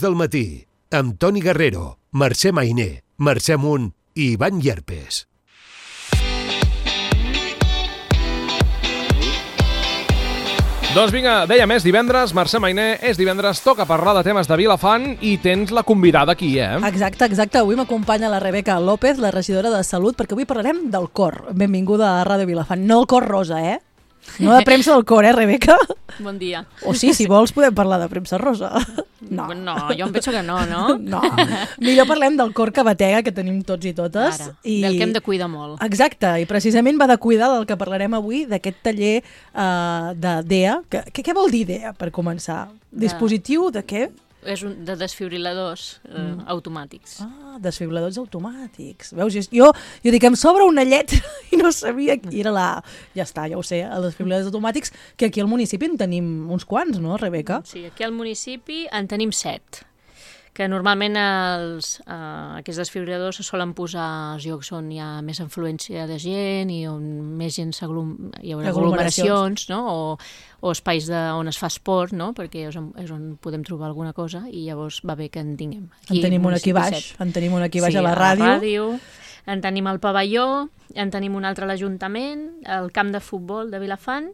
del matí, amb Toni Guerrero, Mercè Mainer, Mercè Munt i Ivan Llerpes. Doncs vinga, dèiem, és divendres, Mercè Mainer, és divendres, toca parlar de temes de Vilafant i tens la convidada aquí, Exacte. Avui m'acompanya la Rebeca López, la regidora de Salut, perquè avui parlarem del cor. Benvinguda a Ràdio Vilafant. No el cor rosa, No de premsa del cor, Rebeca? Bon dia. O sí, si vols podem parlar de premsa rosa. No, jo em penso que no? No. Millor parlem del cor que batega, que tenim tots i totes. Ara, del que hem de cuidar molt. Exacte, i precisament va de cuidar del que parlarem avui, d'aquest taller de DEA. Què vol dir DEA, per començar? Dispositiu de què? És de desfibriladors automàtics. Desfibriladors automàtics. Veus? Jo dic, em sobra una lletra i no sabia qui era la... Ja està, ja ho sé, els desfibriladors automàtics, que aquí al municipi en tenim uns quants, no, Rebeca? Sí, aquí al municipi en tenim 7, que normalment aquests desfibriladors se solen posar als llocs on hi ha més afluència de gent i on més gent hi haurà aglomeracions, no? O espais on es fa esport, no? Perquè és on podem trobar alguna cosa i llavors va bé que en tinguem. En tenim un aquí baix, a la ràdio. En tenim al pavelló, en tenim un altre a l'Ajuntament, al camp de futbol de Vilafant,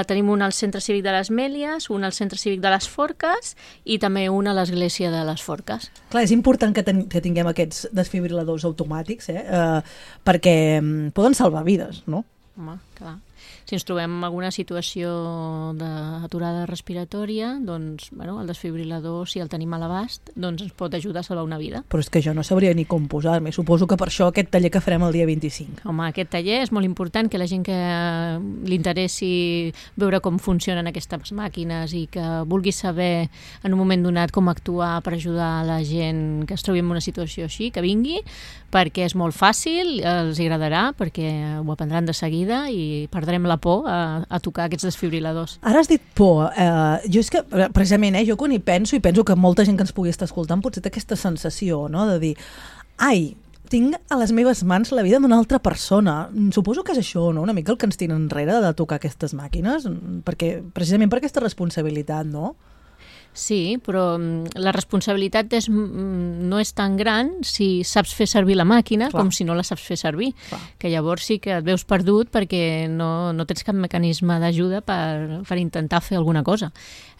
tenim un al Centre Cívic de les Mèlies, un al Centre Cívic de les Forques i també un a l'Església de les Forques. Clar, és important que tinguem aquests desfibriladors automàtics, perquè poden salvar vides, no? Home, clar. Si ens trobem en alguna situació d'aturada respiratòria, doncs, el desfibrilador, si el tenim a l'abast, doncs ens pot ajudar a salvar una vida. Però és que jo no sabria ni com posar-me. Suposo que per això aquest taller que farem el dia 25. Home, aquest taller és molt important, que la gent que li interessi veure com funcionen aquestes màquines i que vulgui saber en un moment donat com actuar per ajudar la gent que es trobi en una situació així, que vingui, perquè és molt fàcil, els agradarà, perquè ho aprendran de seguida i perdrem la por a tocar aquests desfibriladors. Ara has dit por. Jo és que, precisament, jo quan hi penso, i penso que molta gent que ens pugui estar escoltant potser té aquesta sensació, no?, de dir, ai, tinc a les meves mans la vida d'una altra persona. Suposo que és això, no?, una mica el que ens tenen enrere de tocar aquestes màquines, precisament per aquesta responsabilitat, no? Sí, però la responsabilitat no és tan gran si saps fer servir la màquina com si no la saps fer servir. Que llavors sí que et veus perdut perquè no tens cap mecanisme d'ajuda per intentar fer alguna cosa.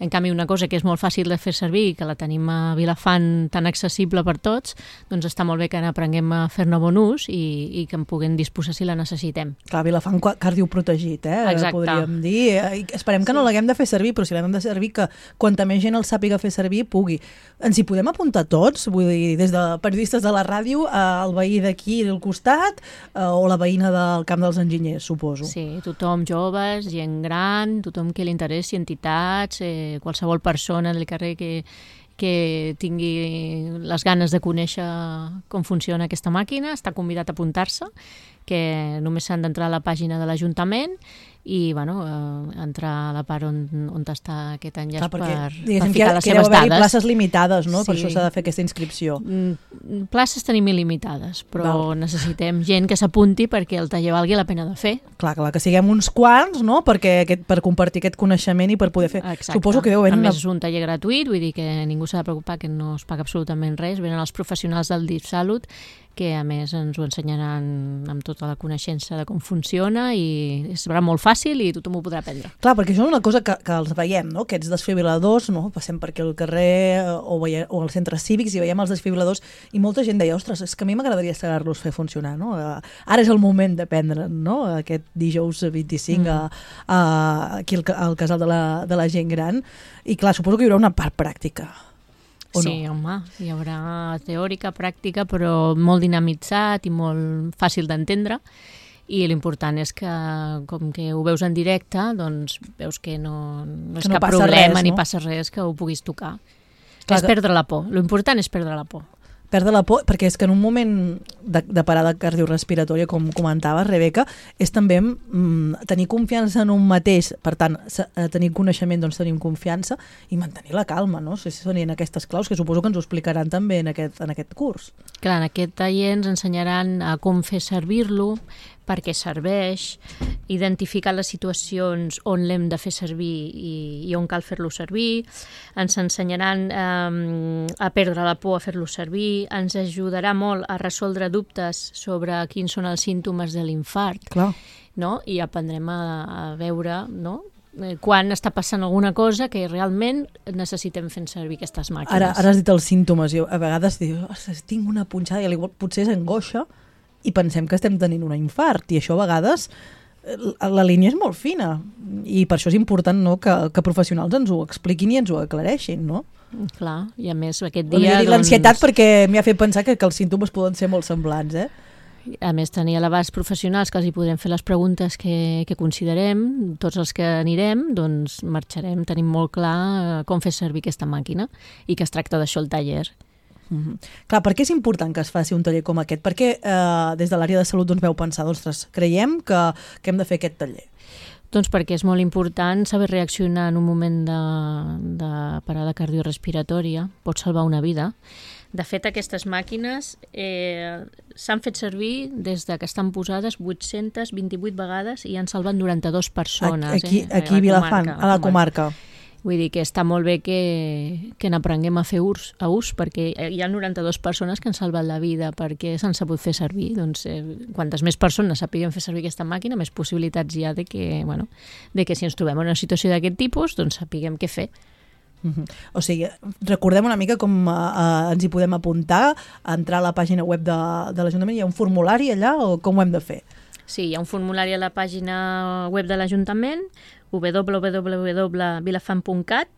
En canvi, una cosa que és molt fàcil de fer servir i que la tenim a Vilafant tan accessible per tots, doncs està molt bé que n'aprenguem a fer-ne bon ús i que en puguem disposar si la necessitem. Clar, Vilafant cardioprotegit, Exacte. Podríem dir. Esperem que no l'haguem de fer servir, però si l'hem de servir, que quanta més gent el sàpiga fer servir, pugui. Ens hi podem apuntar tots? Vull dir, des de periodistes de la ràdio, el veí d'aquí al costat, o la veïna del Camp dels Enginyers, suposo. Sí, tothom, joves, gent gran, tothom que li interessi, entitats, qualsevol persona del carrer que tingui les ganes de conèixer com funciona aquesta màquina, està convidat a apuntar-se, que només s'han d'entrar a la pàgina de l'Ajuntament i entrar a la part on està aquest enllaç per ficar les seves dades. Places limitades, no? Sí. Per això s'ha de fer aquesta inscripció. Places tenim il·limitades, però necessitem gent que s'apunti perquè el taller valgui la pena de fer. Clar, que siguem uns quants, no?, per compartir aquest coneixement i per poder fer... Exacte. Suposo que a més és un taller gratuït, vull dir que ningú s'ha de preocupar, que no es paga absolutament res. Venen els professionals del DIF Salut, que a més ens ho ensenyaran amb tota la coneixença de com funciona i serà molt fàcil i tothom ho podrà aprendre. Clar, perquè això és una cosa que els veiem, no?, aquests desfibriladors, no?, passem per aquí al carrer o als centres cívics i veiem els desfibriladors i molta gent deia, ostres, és que a mi m'agradaria saber-los fer funcionar, no? Ara és el moment d'aprendre, no?, aquest dijous 25 aquí al casal de la gent gran i clar, suposo que hi haurà una part pràctica. Sí, home, hi haurà teòrica, pràctica, però molt dinamitzat i molt fàcil d'entendre i l'important és que, com que ho veus en directe, doncs veus que no és cap problema ni passa res que ho puguis tocar. És perdre la por, l'important és perdre la por. Perdre la por, perquè és que en un moment de parada cardiorrespiratòria, com comentaves, Rebeca, és també tenir confiança en un mateix, per tant, tenir coneixement, doncs tenim confiança i mantenir la calma, no? Si són aquestes claus, que suposo que ens ho explicaran també en aquest curs. Clar, en aquest taller ens ensenyaran a com fer servir-lo, per què serveix, identificar les situacions on l'hem de fer servir i on cal fer-lo servir, ens ensenyaran a perdre la por a fer-lo servir, ens ajudarà molt a resoldre dubtes sobre quins són els símptomes de l'infart, no? I aprendrem a veure, no?, quan està passant alguna cosa que realment necessitem fer servir aquestes màquines. Ara has dit els símptomes, i a vegades dius, tinc una punxada, i potser és angoixa, i pensem que estem tenint un infart, i això a vegades la línia és molt fina, i per això és important, no?, que professionals ens ho expliquin i ens ho aclareixin, no? Clar, i a més aquest dia... L'ansietat perquè m'ha fet pensar que els símptomes poden ser molt semblants, A més, tenir a l'abast professionals que els hi podem fer les preguntes que considerem, tots els que anirem, doncs marxarem, tenim molt clar com fer servir aquesta màquina i que es tracta d'això el taller. Clar, per què és important que es faci un taller com aquest? Per què des de l'àrea de salut veu pensar, ostres, creiem que hem de fer aquest taller? Doncs perquè és molt important saber reaccionar en un moment de parada cardiorrespiratòria, pot salvar una vida. De fet, aquestes màquines s'han fet servir des de que estan posades 828 vegades i han salvat 92 persones. Aquí a Vilafant, a la comarca. Vull dir que està molt bé que n'aprenguem a fer ús, perquè hi ha 92 persones que han salvat la vida perquè s'han sabut fer servir. Doncs quantes més persones sapiguem fer servir aquesta màquina, més possibilitats hi ha de que si ens trobem en una situació d'aquest tipus, doncs sapiguem què fer. O sigui, recordem una mica com ens hi podem apuntar, entrar a la pàgina web de l'Ajuntament, hi ha un formulari allà o com ho hem de fer? Sí, hi ha un formulari a la pàgina web de l'Ajuntament, www.vilafant.cat,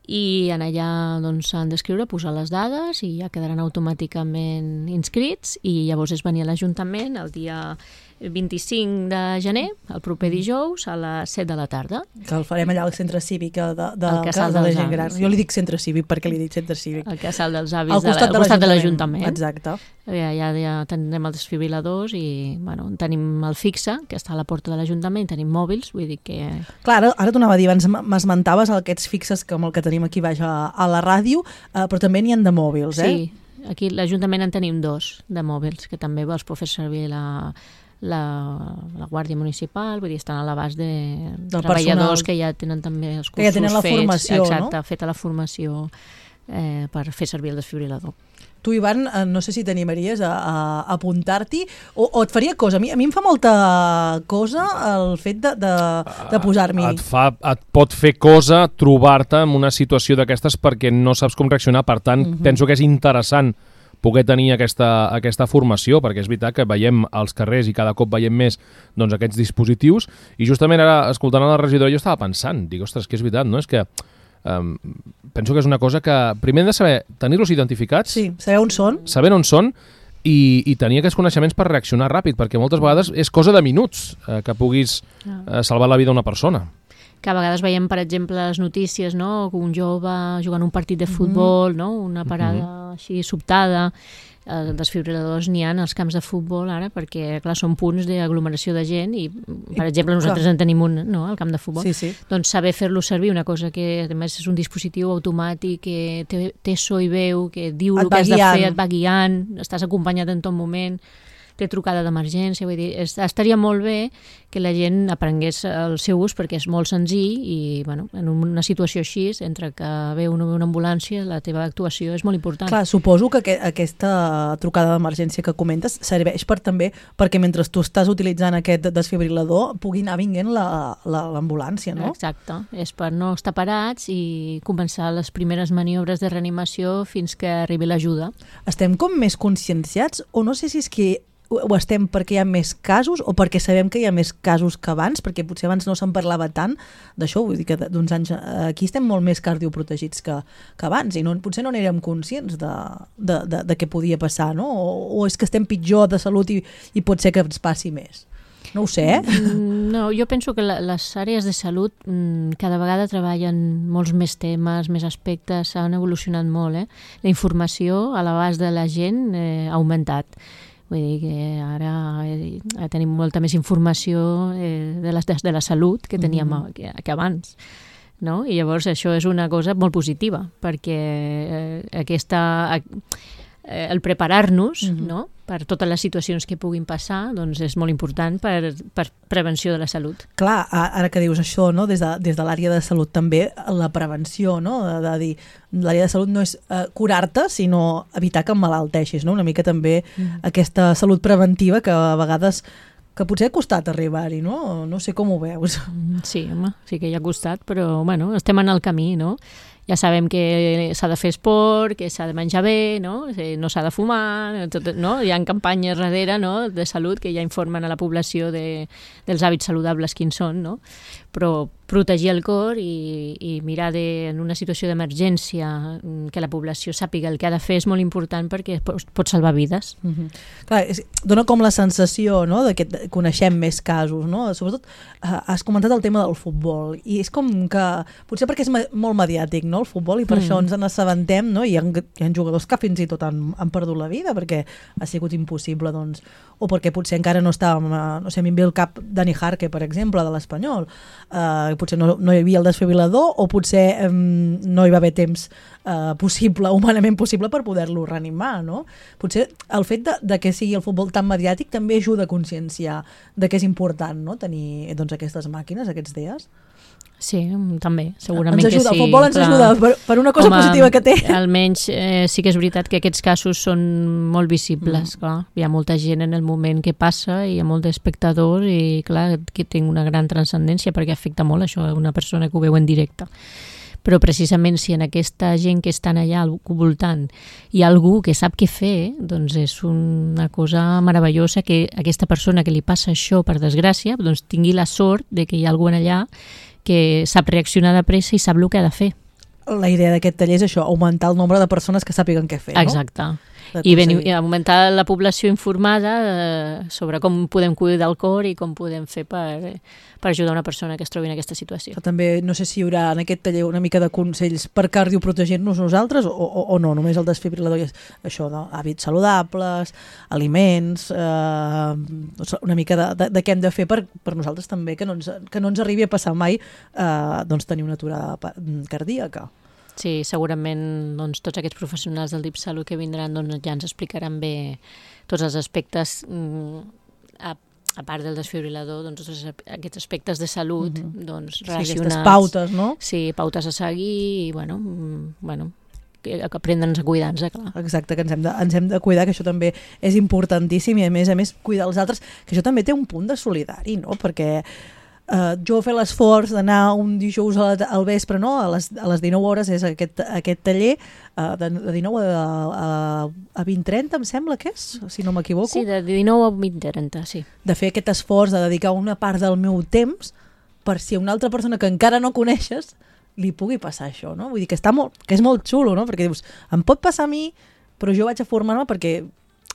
i en allà s'han d'escriure, posar les dades i ja quedaran automàticament inscrits, i llavors és venir a l'Ajuntament el dia 25 de gener, el proper dijous, a les 7 de la tarda. Que el farem allà al centre cívic del Casal de la Gent Gran. Jo li dic centre cívic perquè li dic centre cívic. El Casal dels Avis, al costat de l'Ajuntament. Exacte. Ja tenim els desfibriladors i tenim el fixe, que està a la porta de l'Ajuntament, tenim mòbils, vull dir que... Clar, ara t'ho anava a dir, abans m'esmentaves aquests fixes com el que tenim aquí baix a la ràdio, però també n'hi ha de mòbils, Sí, aquí a l'Ajuntament en tenim 2 de mòbils, que també els pot fer servir la Guàrdia Municipal, vull dir, estan a l'abast de treballadors que ja tenen també els cursos fets. Que ja tenen la formació, exacte, feta la formació per fer servir el desfibrilador. Tu, Ivan, no sé si t'animaries a apuntar-t'hi o et faria cosa. A mi em fa molta cosa el fet de posar-m'hi. Et pot fer cosa trobar-te en una situació d'aquestes perquè no saps com reaccionar. Per tant, penso que és interessant poder tenir aquesta formació, perquè és veritat que veiem als carrers i cada cop veiem més aquests dispositius, i justament ara, escoltant a la regidora, jo estava pensant, dic, ostres, que és veritat, no? És que penso que és una cosa que primer hem de saber tenir-los identificats, sí, saber on són i tenir aquests coneixements per reaccionar ràpid, perquè moltes vegades és cosa de minuts que puguis salvar la vida d'una persona. Que a vegades veiem, per exemple, les notícies, no? Un jove jugant un partit de futbol, no? Una parada així sobtada. Desfibriladors n'hi ha als camps de futbol ara, perquè clar, són punts d'aglomeració de gent i, per exemple, nosaltres en tenim un, no?, al camp de futbol. Sí. Doncs saber fer-lo servir, una cosa que a més és un dispositiu automàtic que té so i veu, que diu el que has de fer, et va guiant, estàs acompanyat en tot moment, té trucada d'emergència, vull dir, estaria molt bé que la gent aprengués el seu ús perquè és molt senzill i, en una situació així, entre que ve o no ve una ambulància, la teva actuació és molt important. Clar, suposo que aquesta trucada d'emergència que comentes serveix també perquè mentre tu estàs utilitzant aquest desfibrilador pugui anar vinguent l'ambulància, no? Exacte, és per no estar parats i començar les primeres maniobres de reanimació fins que arribi l'ajuda. Estem com més conscienciats o no sé si és que o estem perquè hi ha més casos o perquè sabem que hi ha més casos que abans, perquè potser abans no se'n parlava tant d'això, vull dir que d'uns anys aquí estem molt més cardioprotegits que abans i potser no n'érem conscients de què podia passar, no? O és que estem pitjor de salut i pot ser que ens passi més. No ho sé, No, jo penso que les àrees de salut cada vegada treballen molts més temes, més aspectes, han evolucionat molt, La informació a l'abast de la gent ha augmentat. Vull dir que ara tenim molta més informació de la salut que teníem que abans, no? I llavors això és una cosa molt positiva perquè el preparar-nos, no? per totes les situacions que puguin passar, doncs és molt important per prevenció de la salut. Clar, ara que dius això, no? Des de l'àrea de salut també, la prevenció, no? De dir, l'àrea de salut no és curar-te, sinó evitar que emmalalteixis, no? Una mica també aquesta salut preventiva que a vegades que potser ha costat arribar-hi, no? No sé com ho veus. Sí, home, sí que hi ha costat, però bueno, estem en el camí, no? Ja sabem que s'ha de fer esport, que s'ha de menjar bé, no s'ha de fumar, no? Hi ha campanyes darrere, no? De salut que ja informen a la població dels hàbits saludables quins són, no? Però protegir el cor i mirar en una situació d'emergència que la població sàpiga el que ha de fer és molt important perquè pot salvar vides. Clar, dona com la sensació, no?, de que coneixem més casos, no? Sobretot has comentat el tema del futbol i és com que, potser perquè és molt mediàtic, no?, el futbol, i per això ens n'assabentem, no? I hi ha jugadors que fins i tot han perdut la vida perquè ha sigut impossible, doncs, o perquè potser encara no estàvem, no sé, a mi em ve el cap Dani Jarque, per exemple, de l'Espanyol, potser no hi havia el desfibrilador o potser no hi va haver temps possible, humanament possible, per poder-lo reanimar, no? Potser el fet de que sigui el futbol tan mediàtic també ajuda a conscienciar de que és important, no?, tenir, doncs, aquestes màquines, aquests DEAs. Sí, també, segurament que sí. El futbol ens ajuda per una cosa positiva que té. Almenys sí que és veritat que aquests casos són molt visibles, clar. Hi ha molta gent en el moment que passa i hi ha molt d'espectadors i clar, que té una gran transcendència perquè afecta molt això a una persona que ho veu en directe. Però precisament si en aquesta gent que estan allà al voltant hi ha algú que sap què fer, doncs és una cosa meravellosa que aquesta persona que li passa això per desgràcia doncs tingui la sort de que hi ha algú allà que sap reaccionar de pressa i sap el que ha de fer. La idea d'aquest taller és això, augmentar el nombre de persones que sàpiguen què fer, no? Exacte. I augmentar la població informada sobre com podem cuidar el cor i com podem fer per ajudar una persona que es trobi en aquesta situació. També no sé si hi haurà en aquest taller una mica de consells per cardioprotegir-nos nosaltres o no, només el desfibrilador és això, no? Hàbits saludables, aliments, una mica de què hem de fer per nosaltres també, que no ens arribi a passar mai doncs tenir una aturada cardíaca. Sí, segurament doncs, tots aquests professionals del DIP Salut que vindran doncs, ja ens explicaran bé tots els aspectes, a part del desfibrilador, doncs, aquests aspectes de salut doncs, relacionats. Aquestes pautes, no? Sí, pautes a seguir i, bueno, que aprendre'ns a cuidar-nos, clar. Exacte, que ens hem de cuidar, que això també és importantíssim i a més cuidar els altres, que això també té un punt de solidari, no? Perquè jo fer l'esforç d'anar un dijous al vespre, no? A les 19 hores és aquest taller de 19 a 20:30, em sembla que és, si no m'equivoco. Sí, de 19 a 20:30, sí. De fer aquest esforç de dedicar una part del meu temps per si a una altra persona que encara no coneixes li pugui passar això, no? Vull dir que és molt xulo, no? Perquè dius, em pot passar a mi, però jo vaig a formar-me perquè...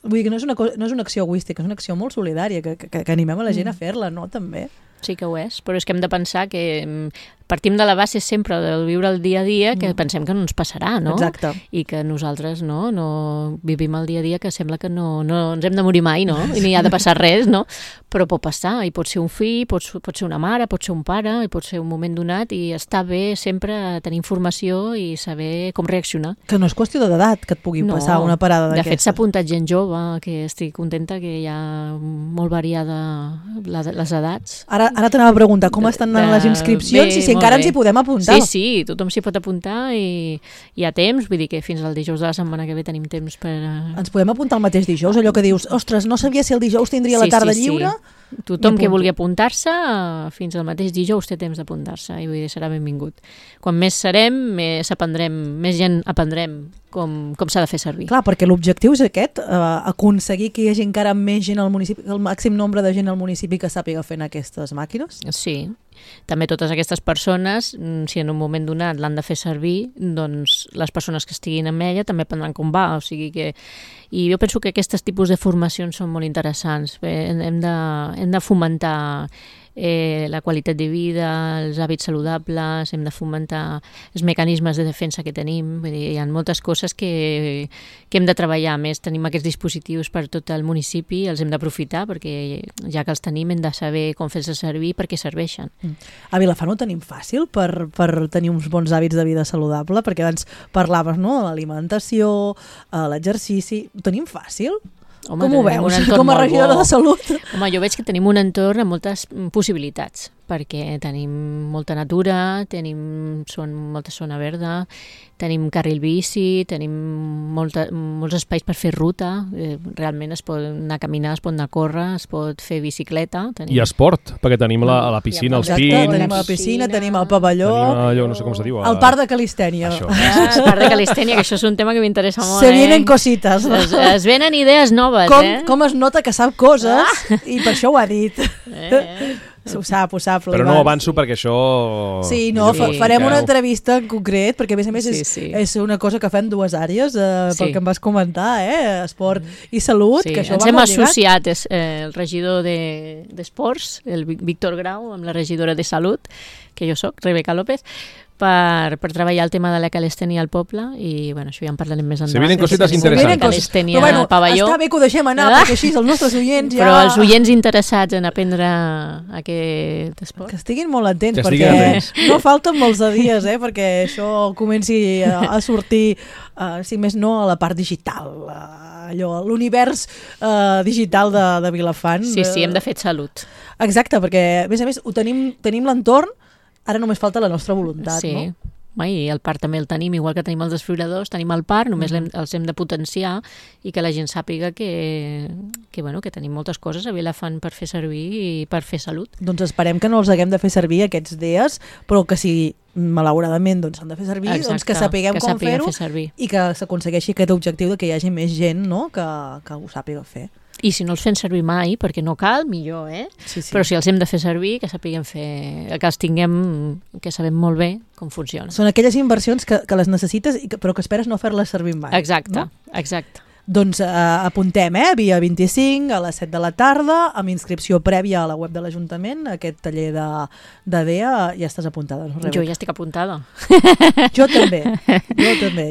Vull dir que no és una acció egoística, és una acció molt solidària, que animem a la gent a fer-la, no? També. Sí que ho és, però és que hem de pensar que partim de la base sempre del viure el dia a dia, que pensem que no ens passarà, no? Exacte. I que nosaltres no vivim el dia a dia, que sembla que no ens hem de morir mai, no? I ni ha de passar res, no? Però pot passar, i pot ser un fill, pot ser una mare, pot ser un pare, i pot ser un moment donat, i està bé sempre tenir informació i saber com reaccionar. Que no és qüestió d'edat que et pugui passar una parada d'aquesta. De fet, s'ha apuntat gent jove, que estic contenta que hi ha molt variada les edats. Ara t'anava a preguntar com estan anant les inscripcions i si encara ens hi podem apuntar. Sí, tothom s'hi pot apuntar i hi ha temps, vull dir que fins al dijous de la setmana que ve tenim temps per... Ens podem apuntar el mateix dijous, allò que dius, ostres, no sabia si el dijous tindria la tarda lliure... Tothom que vulgui apuntar-se, fins al mateix dijous té temps d'apuntar-se i vull dir, serà benvingut. Quan més serem, més gent aprendrem com s'ha de fer servir. Clar, perquè l'objectiu és aquest, aconseguir que hi hagi encara més gent al municipi, el màxim nombre de gent al municipi que sàpiga fent aquestes màquines. Sí, també totes aquestes persones, si en un moment donat l'han de fer servir, doncs les persones que estiguin amb ella també aprendran com va, o sigui que... I jo penso que aquests tipus de formacions són molt interessants. Hem de fomentar la qualitat de vida, els hàbits saludables, hem de fomentar els mecanismes de defensa que tenim. Vull dir, hi ha moltes coses que hem de treballar més. Tenim aquests dispositius per tot el municipi, els hem d'aprofitar perquè ja que els tenim hem de saber com fer-los servir perquè serveixen. A Vilafant ho tenim fàcil per tenir uns bons hàbits de vida saludable? Perquè abans parlaves, no?, l'alimentació, l'exercici... Ho tenim fàcil? Home, Com ho tenim un veus, entorn com a molt regidora de Salut? Home, jo veig que tenim un entorn amb moltes possibilitats, perquè tenim molta natura, són molta zona verda, tenim carril bici, tenim molts espais per fer ruta, realment es pot anar a caminar, es pot anar a córrer, es pot fer bicicleta. I esport, perquè tenim la piscina, els Exacte, pins... tenim la piscina, tenim el pavelló, tenim allò, no sé com se diu... el parc de Calistènia. Això. El parc de Calistènia, que això és un tema que m'interessa molt. Se vienen cositas. Es venen idees noves, Com es nota que sap coses, i per això ho ha dit. Ho sap, però no avanço perquè això... Sí, no, farem una entrevista en concret, perquè a més és una cosa que fem dues àrees, pel que em vas comentar, esport i salut, que això ens va hem molt lligat. associat el regidor d'Esports, el Víctor Grau, amb la regidora de Salut, que jo soc, Rebeca López, per treballar el tema de la calistènia al poble, i bueno, això ja en parlarem més endavant. Se vienen cositas interesantes. Calistènia però bueno, al pavelló. Està bé que ho deixem anar, perquè així els nostres oients ja... Però els oients interessats en aprendre aquest esport... Que estiguin molt atents, que perquè no falten molts de dies, perquè això comenci a sortir, si més no, a la part digital, l'univers digital de Vilafant. Sí, hem de fer salut. Exacte, perquè a més tenim l'entorn, ara només falta la nostra voluntat, no? I el parc també el tenim, igual que tenim els desfibriladors, tenim el parc, només els hem de potenciar i que la gent sàpiga que tenim moltes coses a Vilafant per fer servir i per fer salut. Doncs esperem que no els haguem de fer servir aquests dies, però que si malauradament s'han de fer servir, doncs que sapiguem com fer-ho i que s'aconsegueixi aquest objectiu de que hi hagi més gent, no?, que ho sàpiga fer. I si no els fem servir mai, perquè no cal, millor, Sí. Però si els hem de fer servir, que sapiguem que els tinguem, que sabem molt bé com funciona. Són aquelles inversions que les necessites, però que esperes no fer-les servir mai. Exacte, no? exacte. Doncs apuntem, dia 25 a les 7 de la tarda, amb inscripció prèvia a la web de l'Ajuntament, aquest taller de DEA. Ja estàs apuntada, no, Rebeca? Jo ja estic apuntada. Jo també,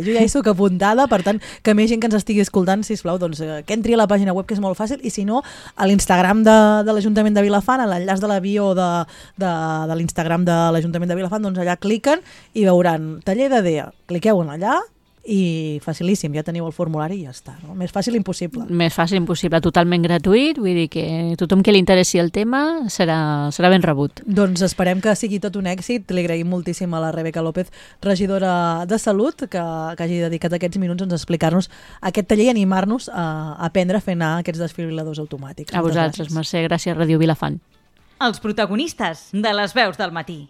jo ja hi soc apuntada, per tant, que més gent que ens estigui escoltant, sisplau, doncs que entri a la pàgina web, que és molt fàcil, i si no, a l'Instagram de l'Ajuntament de Vilafant, a l'enllaç de la bio de l'Instagram de l'Ajuntament de Vilafant, doncs allà cliquen i veuran taller de DEA. Cliqueu en allà, i facilíssim, ja teniu el formulari i ja està, no? Més fàcil impossible. Més fàcil impossible, totalment gratuït, vull dir que tothom que li interessi el tema serà ben rebut. Doncs esperem que sigui tot un èxit. Li agraïm moltíssim a la Rebeca López, regidora de Salut, que hagi dedicat aquests minuts a explicar-nos aquest taller i animar-nos a aprendre a fer anar aquests desfibriladors automàtics. A vosaltres, Mercè, gràcies, Ràdio Vilafant. Els protagonistes de les veus del matí.